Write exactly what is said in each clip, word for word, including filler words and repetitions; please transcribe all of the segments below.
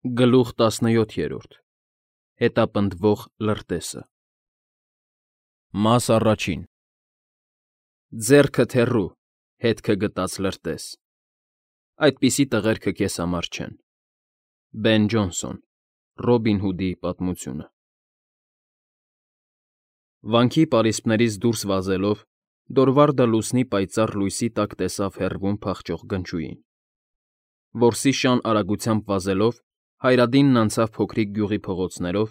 Գլուխ տասնյոթ. Հետապնդվող լրտեսը Մաս առաջին Ձեռքդ հեռու, հետքը գտած լրտես, այդպիսի տղերքը քեզ համար չեն։ Բեն Ջոնսոն, Ռոբին Հուդի պատմությունը։ Վանքի պարիսպներից դուրս վազելով՝ Դորվարդը լուսնի պայծառ լույսի տակ տեսավ հեռվում փախչող գնչուին։ Որսի շան արագությամբ վազելով՝ Հայրադինն անցավ փոքրիկ գյուղի փողոցներով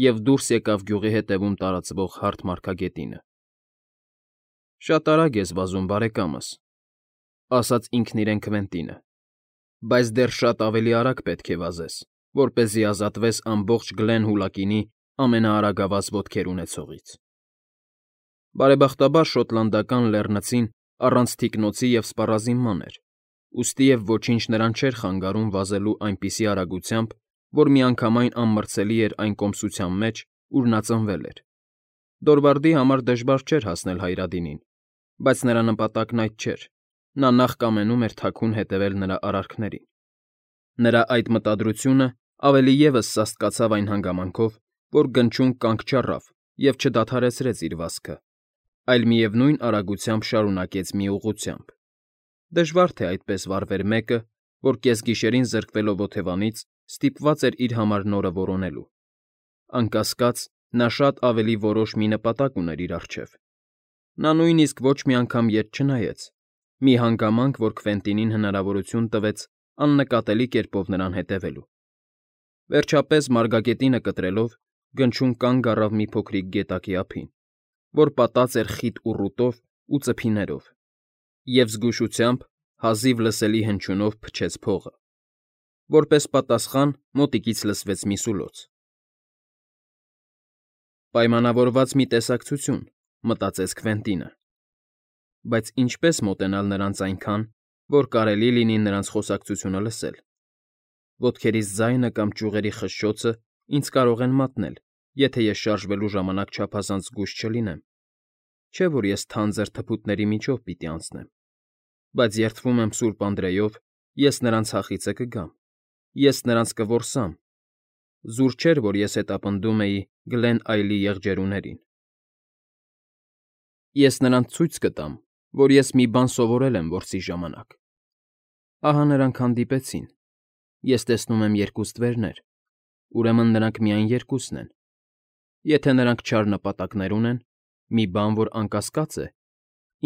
և դուրս եկավ գյուղի հետևում տարածվող հարթ մարգագետինը։ «Շատ արագ ես վազում, բարեկամս,֊ ասաց ինքն իրեն Քվենտինը,֊ բայց դեռ շատ ավելի արագ պետք է վազես, որպեսզի ազատվես ամբողջ Գլեն Հուլակինի ամենաարագավազ ոտքեր ունեցողից»։ Բարեբախտաբար շոտլանդական լեռնցին առանց թիկնոցի և սպառազինման էր, ուստիև ոչինչ նրան չէր խանգարում վազելու այնպիսի արագությամբ, որ միանգամայն անմրցելի էր այն կոմսության մեջ, ուր նա ծնվել էր։ Դորվարդի համար դժվար չէր հասնել Հայրադինին, բայց նրա նպատակն այդ չէր, նա նախ կամենում էր թաքուն հետևել նրա արարքներին։ Նրա այդ մտադրությունը ավելի ևս սաստկացավ այն հանգամանքով, որ գնչուն կանգ չառավ և չդադարեցրեց իր վազքը, այլ միևնույն արագությամբ շարունակեց մի ուղղությամբ։ Դժվար թե այդպես վարվեր մեկը, որ կեսգիշերին զրկվելով օթևանից ստիպված էր իր համար նորը որոնելու։ Անկասկած, նա շատ ավելի որոշ մի նպատակ ուներ իր առջև։ Նա նույնիսկ ոչ մի անգամ ետ չնայեց, մի հանգամանք, որ Քվենտինին հնարավորություն տվեց աննկատելի կերպով նրան հետևելու։ Վերջապես, մարգագետինը կտրելով, գնչուն կանգ առավ մի փոքրիկ գետակի ափին, որ պատած էր խիտ ուռուտով ու ծփիներով, և զգուշությամբ, հազիվ լսելի հնչյունով փչեց փողը։ Որպես պատասխան մոտիկից լսվեց մի սուլոց։ «Պայմանավորված մի տեսակցություն,֊ մտածեց Քվենտինը,֊ բայց ինչպե՞ս մոտենալ նրանց այնքան, որ կարելի լինի նրանց խոսակցությունը լսել։ Ոտքերիս ձայնը կամ ճյուղերի խշշոցը ինձ կարող են մատնել, եթե ես շարժվելու ժամանակ չափազանց զգույշ չլինեմ։ Չէ՞ որ ես թանձր թփուտների միջով պիտի անցնեմ։ Բայց երդվում եմ Սուրբ Անդրեով, ես նրանց հախիցը կգամ, ես նրանց կորսամ։ Զուր չէր, որ ես հետապնդում էի Գլեն Այլի եղջերուներին։ Ես նրանց ցույց կտամ, որ ես մի բան սովորել եմ որսի ժամանակ։ Ահա նրանք հանդիպեցին։ Ես տեսնում եմ երկու ստվերներ, ուրեմն նրանք միայն երկուսն են։ Եթե նրանք չար նպատակներ ունեն, մի բան, որ անկասկած է,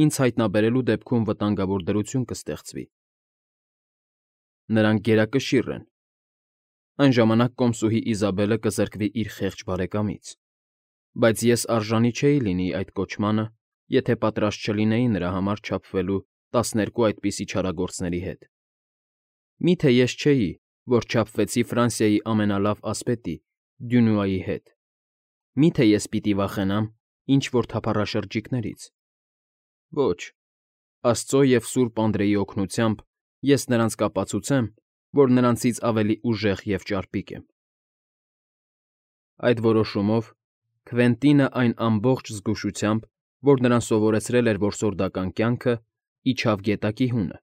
ինձ հայտնաբերելու դեպքում վտանգավոր դրություն կստեղծվի։ Նրանք գերակշիռ են։ Այն ժամանակ կոմսուհի Իզաբելը կզրկվի իր խեղճ բարեկամից, բայց ես արժանի չէի լինի այդ կոչմանը, եթե պատրաստ չլինեի նրա համար չափվելու տասներկու այդպիսի չարագործների հետ։ Մի՞թե ես չէի, որ չափվեցի Ֆրանսիայի ամենալավ ասպետի՝ Դյունուայի հետ։ Մի՞թե ես պիտի վախենամ ինչ֊որ թափառաշրջիկներից։ Ոչ, Աստծո և Սուրբ Անդրեի օգնությամբ ես նրանց կապացուցեմ, որ նրանցից ավելի ուժեղ և ճարպիկ եմ։ Այդ որոշումով Քվենտինը այն ամբողջ զգուշությամբ, որ նրան սովորեցրել էր որսորդական կյանքը, իջավ գետակի հունը,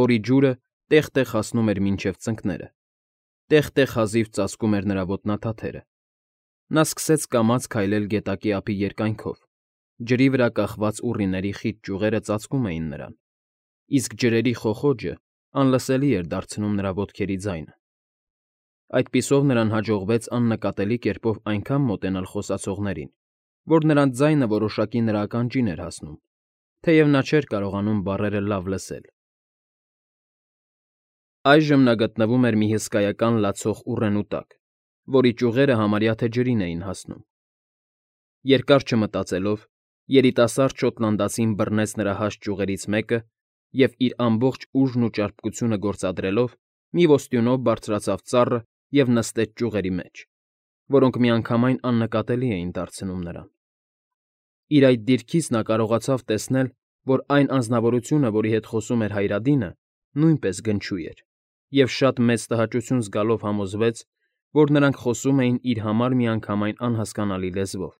որի ջուրը տեղ֊տեղ հասնում էր մինչև ծնկները, տեղ֊տեղ հազիվ ծածկում էր նրա ոտնաթաթերը։ Նա սկսեց կամաց քայլել գետակի ափի երկայնքով, ջրի վրա կախված ուռիների խիտ ճյուղերը ծածկում էին նրան, իսկ ջրերի խոխոջը անլսելի էր դարձնում նրա ոտքերի ձայնը։ Այդպիսով նրան հաջողվեց աննկատելի կերպով այնքան մոտենալ խոսացողներին, որ նրանց ձայնը որոշակի նրա ականջին էր հասնում, թեև նա չէր կարողանում բառերը լավ լսել։ Այժմ նա գտնվում էր մի հսկայական լացող ուռենու տակ, որի ճյուղերը համարյա թե ջրին էին հասնում։ Երկար չմտածելով, երիտասարդ շոտլանդացին բռնեց նրա հաստ ճյուղերից մեկը և, իր ամբողջ ուժն ու ճարպկությունը գործադրելով, մի ոստյունով բարձրացավ ծառը և նստեց ճյուղերի մեջ, որոնք միանգամայն աննկատելի էին դարձնում նրան։ Իր այդ դիրքից նա կարողացավ տեսնել, որ այն անձնավորությունը, որի հետ խոսում էր Հայրադինը, նույնպես գնչու էր, և շատ մեծ տհաճություն զգալով համոզվեց, որ նրանք խոսում էին իր համար միանգամայն անհասկանալի լեզվով։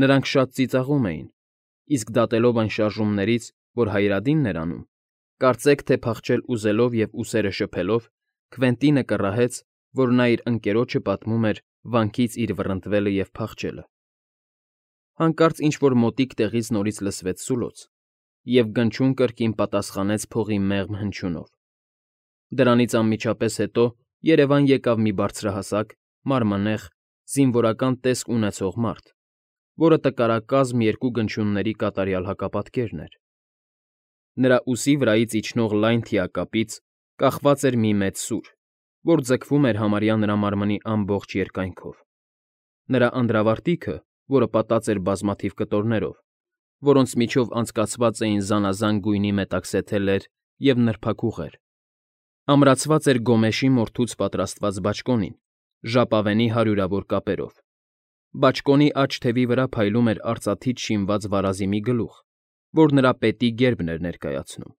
Նրանք շատ ծիծաղում էին, իսկ դատելով այն շարժումներից, որ Հայրադինն էր անում, կարծեք թե փախչել ուզելով և ուսերը շփելով, Քվենտինը կռահեց, որ նա իր ընկերոջը պատմում էր վանքից իր վռնդվելը և փախչելը։ Հանկարծ ինչ֊որ մոտիկ տեղից նորից լսվեց սուլոց, և գնչուն կրկին պատասխանեց փողի մեղմ հնչյունով։ Դրանից անմիջապես հետո երևան եկավ մի բարձրահասակ, մարմանեղ, զինվորական տեսք ունեցող մարդ, որը տկարակազմ երկու գնչյունների կատարյալ հակապատկերն էր։ Նրա ուսի վրայից իջնող լայն թիակապից կախված էր մի մեծ սուր, որ ձգվում էր համարյա նրա մարմնի ամբողջ երկայնքով։ Նրա անդրավարտիքը, որը պատած էր բազմաթիվ կտորներով, որոնց միջով անցկացված էին զանազան գույնի մետաքսեթելեր և նրբաքուղեր, ամրացված էր գոմեշի մորթուց պատրաստված բաճկոնին, ժապավենի հարյուրավոր կապերով։ Բաճկոնի աջ թևի վրա փայլում էր արծաթից շինված վարազի մի գլուխ, որ նրա պետի գերբն էր ներկայացնում։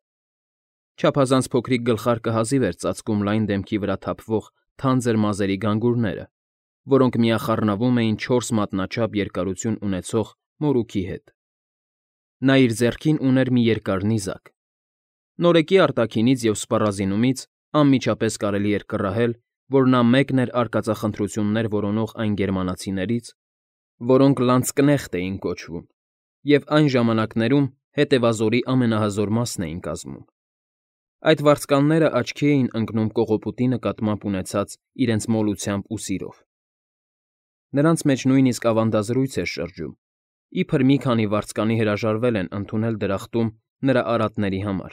Չափազանց փոքրիկ գլխարկը հազիվ էր ծածկում լայն դեմքի վրա թափվող թանձր մազերի գանգուրները, որոնք միախառնվում էին չորս մատնաչափ երկարություն ունեցող մորուքի հետ։ Նա իր ձեռքին ուներ մի երկար նիզակ։ Նորեկի արտաքինից և սպառազինումից անմիջապես կարելի էր կռահել, որ նա մեկն էր արկածախնդրություններ որոնող այն գերմանացիներից, որոնք լանցկնեխտ էին կոչվում, և այն ժամանակներում հետևազորի ամենահզոր մասն էին կազմում։ Այդ վարձկանները աչքի էին ընկնում կողոպուտի նկատմամբ ունեցած իրենց մոլությամբ ու սիրով։ Նրանց մեջ նույնիսկ ավանդազրույց էր շրջում, իբր մի քանի վարձկանի հրաժարվել են ընդունել դրախտում նրա արատների համար,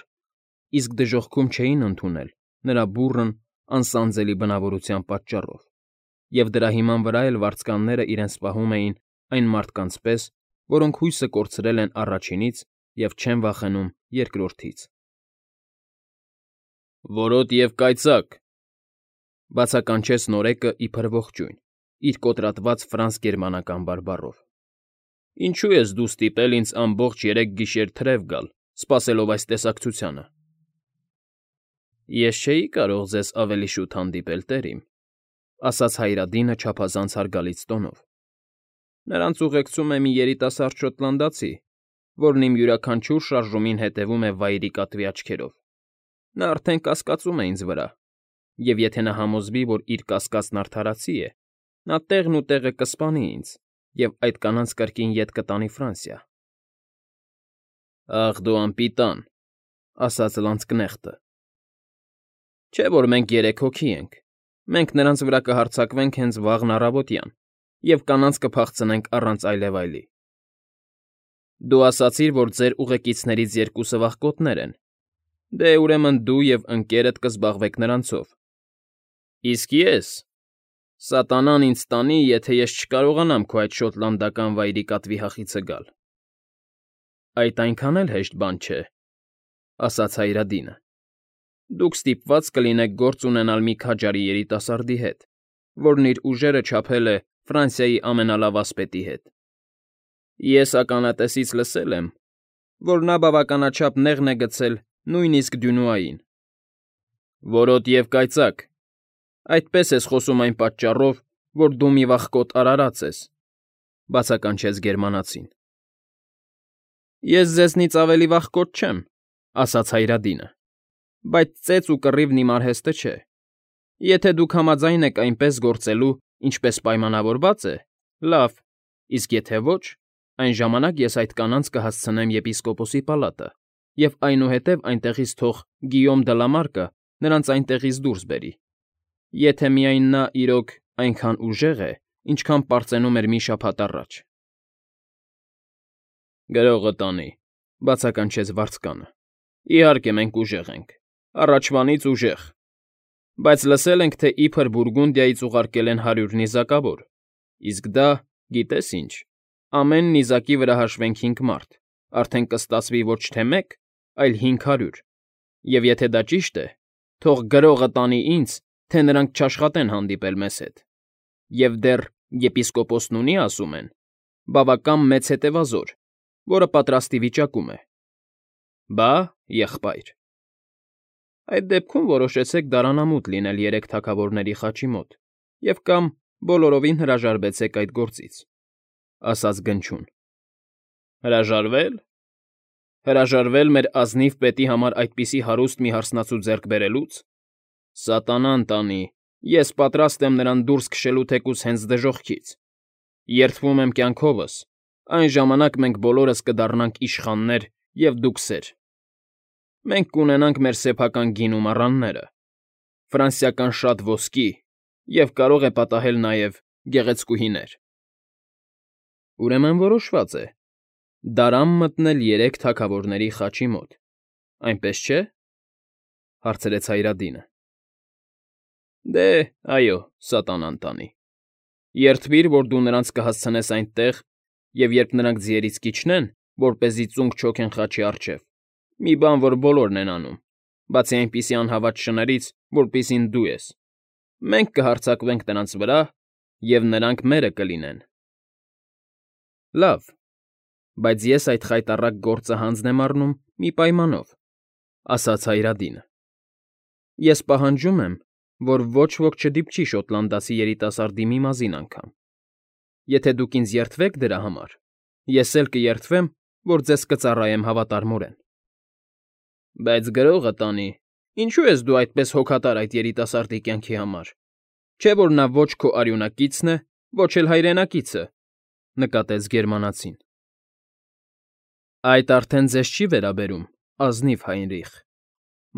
իսկ դժոխքում չէին ընդունել նրա բուռն, անսանձելի բնավորության պատճառով, և դրա հիման վրա էլ վարձկանները իրենց պահում էին այն մարդկանց պես, որոնք հույսը կորցրել են առաջինից և չեն վախենում երկրորդից։ «Որոտ և կայծակ,֊ բացականչեց նորեկը իբր ողջույն, իր կոտրատված ֆրանս֊գերմանական բարբառով,֊ ինչո՞ւ ես դու ստիպել ինձ ամբողջ երեք գիշեր թրև գալ, սպասելով այս տեսակցությանը»։ «Ես չէի կարող ձեզ ավելի շուտ հանդիպել, տեր իմ,֊ ասաց Հայրադինը չափազանց հարգալից տոնով,֊ նրանց ուղեկցում է մի երիտասարդ շոտլանդացի, որն իմ յուրաքանչյուր շարժումին հետևում է վայրի կատվի աչքերով։ Նա արդեն կասկածում է ինձ վրա, և եթե նա համոզվի, որ իր կասկածն արդարացի է, նա տեղն ու տեղը կսպանի ինձ և այդ կանանց կրկին ետ կտանի Ֆրանսիա»։ «Ախ դու անպիտան,֊ ասաց լանցկնեխտը,֊ չէ՞ որ մենք երեք հոգի ենք, մենք նրանց վրա կհարձակվենք հենց վաղն առավոտյան և կանանց կփախցնենք առանց այլևայլի։ Դու ասացիր, որ ձեր ուղեկիցներից երկուսը վախկոտներ են, դե, ուրեմն դու և ընկերդ կզբաղվեք նրանցով։ Իսկ ես… Սատանան ինձ տանի, եթե ես չկարողանամ քո այդ շոտլանդական վայրի կատվի հախիցը գալ։ ֊ Այդ այնքան էլ հեշտ բան չէ,֊ ասաց Հայրադինը։ Դուք ստիպված կլինեք գործ ունենալ մի քաջարի երիտասարդի հետ, որն իր ուժերը չափել է Ֆրանսիայի ամենալավ ասպետի հետ։ Ես ականատեսից լսել եմ, որ նա բավականաչափ նեղն է գցել նույնիսկ Դյունուային։ ֊ Որոտ և կայծակ, այդպես ես խոսում այն պատճառով, որ դու մի վախկոտ արարած ես,֊ բացականչեց գերմանացին։ ֊ Ես ձեզնից ավելի վախկոտ չեմ,֊ ասաց Հայրադինը,֊ բայց ծեծ ու կռիվն իմ արհեստը չէ։ Եթե դուք համաձայն եք այնպես գործելու, ինչպես պայմանավորված է, լավ, իսկ եթե ոչ, այն ժամանակ ես այդ կանանց կհասցնեմ եպիսկոպոսի պալատը և այնուհետև այնտեղից թող Գիյոմ դը Լա Մարկը նրանց այնտեղից դուրս բերի, եթե միայն նա, իրոք, այնքան ուժեղ է, ինչքան պարծենում էր մի շաբաթ առաջ։ ֊ Գրողը տանի,֊ բացականչեց վարձկանը,֊ իհարկե մենք ուժեղ ենք, առաջվանից ուժեղ, բայց լսել ենք, թե իբր Բուրգունդիայից ուղարկել են հարյուր նիզակավոր, իսկ դա, գիտե՞ս ինչ, ամեն նիզակի վրա հաշվենք հինգ մարդ, արդեն կստացվի ոչ թե մեկ, այլ հինգ հարյուր, և եթե դա ճիշտ է, թող գրողը տանի ինձ, թե նրանք չաշխատեն հանդիպել մեզ հետ, և դեռ, եպիսկոպոսն ունի, ասում են, բավական մեծ հետևազոր, որը պատրաստի վիճակում է։ Բա, եղբայր… Այդ դեպքում որոշեցեք դարանամուտ լինել երեք թագավորների խաչի մոտ և կամ բոլորովին հրաժարվեցեք այդ գործից,֊ ասաց Գնչուն։ ֊ Հրաժարվե՞լ… Հրաժարվե՞լ մեր ազնիվ պետի համար այդպիսի հարուստ մի հարսնացու ձեռք բերելուց։ Սատանան տանի, ես պատրաստ եմ նրան դուրս քշելու թեկուզ հենց դժոխքից։ Երդվում եմ կյանքովս, այն ժամանակ մենք բոլորս կդառնանք իշխաններ, և դուք սեր։ Մենք կունենանք մեր սեփական գին ու մառանները, ֆրանսիական շատ ոսկի և կարող է պատահել նաև գեղեցկուհիներ։ Ուրեմն որոշված է. դարան մտնել երեք թագավորների խաչի մոտ, այնպես չէ՞, հարցրեց Հայրադինը։ Դե, այո, սատանան տանի։ Երդվիր, որ դու նրանց կհասցնես այնտեղ, և երբ նրանք ձիերից կիջնեն, որպեսզի ծունկ չօգեն խաչի առջև, մի բան, որ բոլորն են անում, բացի այնպիսի անհավատ շներից, որպիսին դու ես, մենք կհարձակվենք նրանց վրա, և նրանք մերը կլինեն։ Լավ, բայց ես այդ խայտառակ գործը հանձն եմ առնում մի պայմանով, ասաց Հայրադինը. ես պահանջում եմ, որ ոչ ոք չդիպչի շոտլանդացի երիտասարդի մի մազին անգամ։ Եթե դուք ինձ երդվեք դրա համար, ես էլ կերդվեմ, որ ձեզ կծառայեմ հավատարմորեն։ Բայց գրողը տանի, ինչո՞ւ ես դու այդպես հոգատար այդ երիտասարդի կյանքի համար, չէ՞ որ նա ոչ քո արյունակիցն է, ոչ էլ հայրենակիցը, նկատեց գերմանացին։ Այդ արդեն ձեզ չի վերաբերում, ազնիվ Հայնրիխ,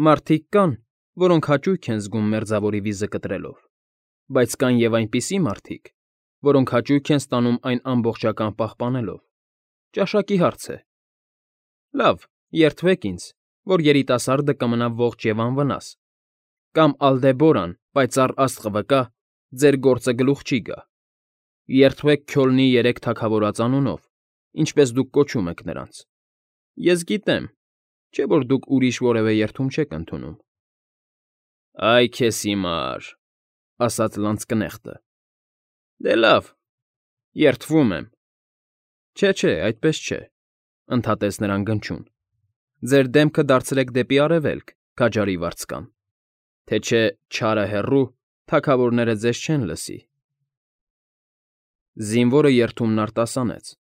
մարդիկ կան, որոնք հաճույք են զգում մերձավորի վիզը կտրելով, բայց կան և այնպիսի մարդիկ, որոնք հաճույք են ստանում այն ամբողջական պահպանելով։ Ճաշակի հարց է։ Լավ, երդվեք ինձ, որ երիտասարդը կմնա ողջ և անվնաս, կամ Ալդեբորան, պայծառ աստղը վկա, ձեր գործը գլուխ չի գա։ Երդվեք Քյոլնի երեք թագավորաց անունով, ինչպես դուք կոչում եք նրանց։ Ես գիտեմ, չէ՞ որ դուք ուրիշ որևէ երդում չեք ընդունում։ Այ քեզ հիմար, ասաց լանցկնեխտը։ Դե լավ, երդվում եմ։ Չէ, չէ, այդպես չէ, ընդհատեց նրան Գնչուն։ Ձեր դեմքը դարձրեք դեպի արևելք, քաջարի վարձկան, թե չէ չարը հեռու, թագավորները ձեզ չեն լսի։ Զինվորը երդումն արտասանեց,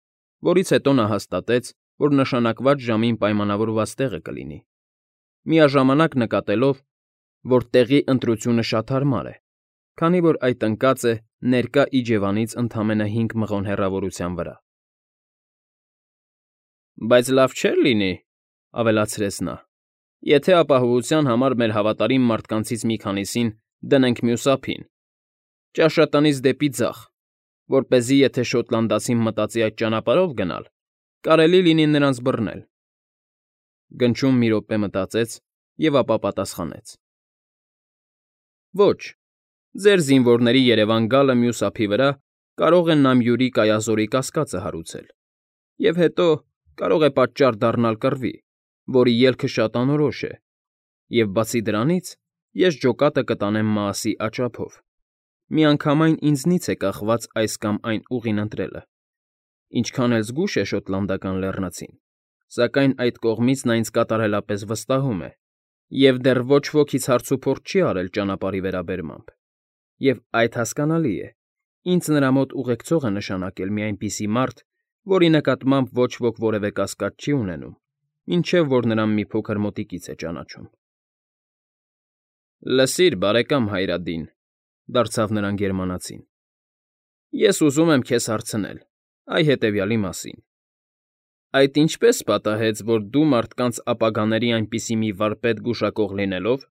որից հետո նա հաստատեց, որ նշանակված ժամին պայմանավորված տեղը կլինի, միաժամանակ նկատելով, որ տեղի ընտրությունը շատ հարմար է, քանի որ այդ ընկած է ներկա իջևանից ընդամենը հինգ մղոն հեռավորության վրա։ Բայց լավ չէր լինի, ավելացրեց նա, եթե ապահովության համար մեր հավատարիմ մարդկանցից մի քանիսին դնենք մյուս ափին, ճաշատնից դեպի ձախ, որպեսզի եթե շոտլանդացին մտածի այդ ճանապարհով գնալ, կարելի լինի նրանց բռնել։ Գնչուն մի րոպե մտածեց և ապա պատասխանեց. Ոչ, ձեր զինվորների Երևան գալը մյուս ափի վրա կարող է Նամյուրի կայազորի կասկածը հարուցել, և հետո կարող է պատճառ դառնալ կռվի, որի ելքը շատ անորոշ է, և բացի դրանից ես ջոկատը կտանեմ Մաասի աճափով, միանգամայն ինձնից է կախված այս կամ այն ուղին ընտրելը, ինչքան էլ զգույշ է շոտլանդական լեռնացին, սակայն այդ կողմից նա ինձ կատարելապես վստահում է, և դեռ ոչ ոքից հարցուփորձ չի արել ճանապարհի վերաբերմամբ, և այդ հասկանալի է, ինձ նրա մոտ ուղեկցող է նշանակել մի այնպիսի մարդ, որի նկատմամբ ոչ ոք որևէ կասկած չի ունենում, մինչև որ նրան մի փոքր մոտիկից է ճանաչում։ Լսիր, բարեկամ Հայրադին, դարձավ նրան գերմանացին, ես ուզում եմ քեզ հարցնել, այ հետևյալի մասին. այդ ինչպե՞ս պատահեց, որ դու մարդկանց ապագաների այնպիսի մի վարպետ գուշակող լինելով,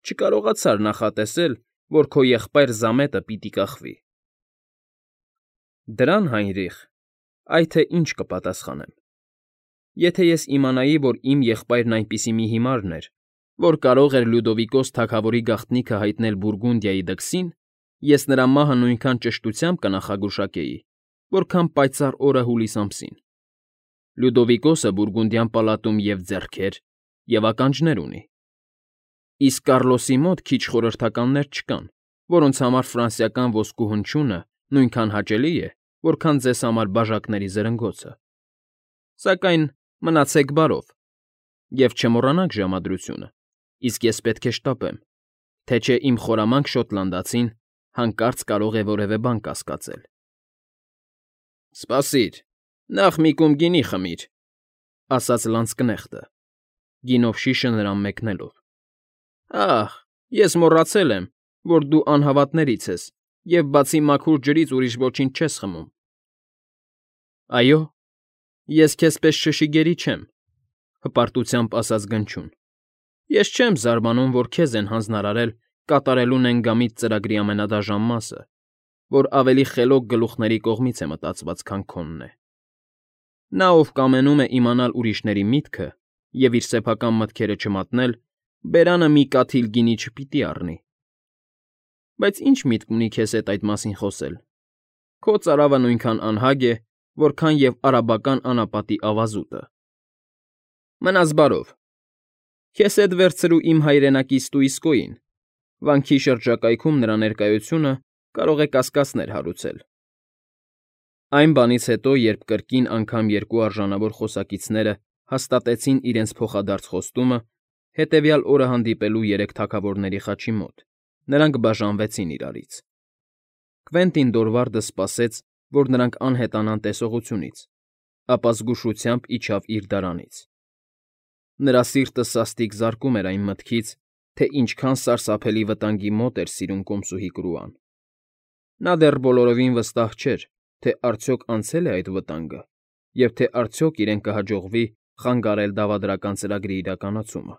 չկարողացար նախատեսել, որ քո եղբայր Զամետը պիտի կախվի։ Դրան, Հայնրիխ, այ թե ինչ կպատասխանեմ։ Եթե ես իմանայի, որ իմ եղբայրն այնպիսի մի հիմարն էր, որ կարող էր Լյուդովիկոս թագավորի գաղտնիքը հայտնել Բուրգունդիայի դքսին, ես նրա մահը նույնքան ճշտությամբ կնախագուշակեի, որքան պայծառ օրը հուլիս ամսին։ Լյուդովիկոսը Բուրգունդյան պալատում և ձեռքեր, և ականջներ ունի։ Իսկ Կառլոսի մոտ քիչ խորհրդականներ չկան, որոնց համար ֆրանսիական ոսկու հնչյունը նույնքան հաճելի է, որքան ձեզ համար բաժակների զրնգոցը։ Սակայն մնացեք բարով և չմոռանաք ժամադրությունը, իսկ ես պետք է շտապեմ, թե չէ իմ խորամանկ շոտլանդացին հանկարծ կարող է որևէ բան կասկածել։ Սպասիր, նախ մի կում գինի խմիր, ասաց լանցկնեխտը, գինով շիշը նրան մեկնելով։ Ահ, Ես մոռացել եմ, որ դու անհավատներից ես և բացի մաքուր ջրից ուրիշ ոչինչ չես խմում։ ֊ Այո, ես քեզ պես շշիգերի չեմ,֊ հպարտությամբ ասաց Գնչուն։֊ Ես չեմ զարմանում, որ քեզ են հանձնարարել կատարելու նենգամիտ ծրագրի ամենադաժան մասը, որ ավելի խելոք գլուխների կողմից է մտածված, քան քոնն է։ Նա, ով կամենում է իմանալ ուրիշների միտքը և իր սեփական մտքերը չմատնել, բերանը մի կաթիլ գինի չպիտի առնի։ Բայց ի՞նչ միտք ունի քեզ հետ այդ մասին խոսել. քո ծարավը նույնքան անհագ է, որքան և արաբական անապատի ավազուտը։ Մնաս բարով, քեզ հետ վերցրու իմ հայրենակի ստույսկոյին, վանքի շրջակայքում նրա ներկայությունը կարող է կասկածներ հարուցել։ Այն բանից հետո, երբ կրկին անգամ երկու արժանավոր խոսակիցները հաստատեցին իրենց փոխադարձ խոստումը, հետևյալ օրը հանդիպելու երեք թագավորների խաչի մոտ, նրանք բաժանվեցին իրարից։ Կվենտին Դորվարդը սպասեց, որ նրանք անհետանան տեսողությունից, ապա զգուշությամբ իջավ իր դարանից։ Նրա սիրտը սաստիկ զարկում էր այն մտքից, թե ինչքան սարսափելի վտանգի մոտ էր սիրուն կոմսուհի Կրուան։ Նա դեռ բոլորովին վստահ չէր, թե արդյոք անցե՞լ է այդ վտանգը և թե արդյոք իրեն կհաջողվի խանգարել դավադրական ծրագրի իրականացումը։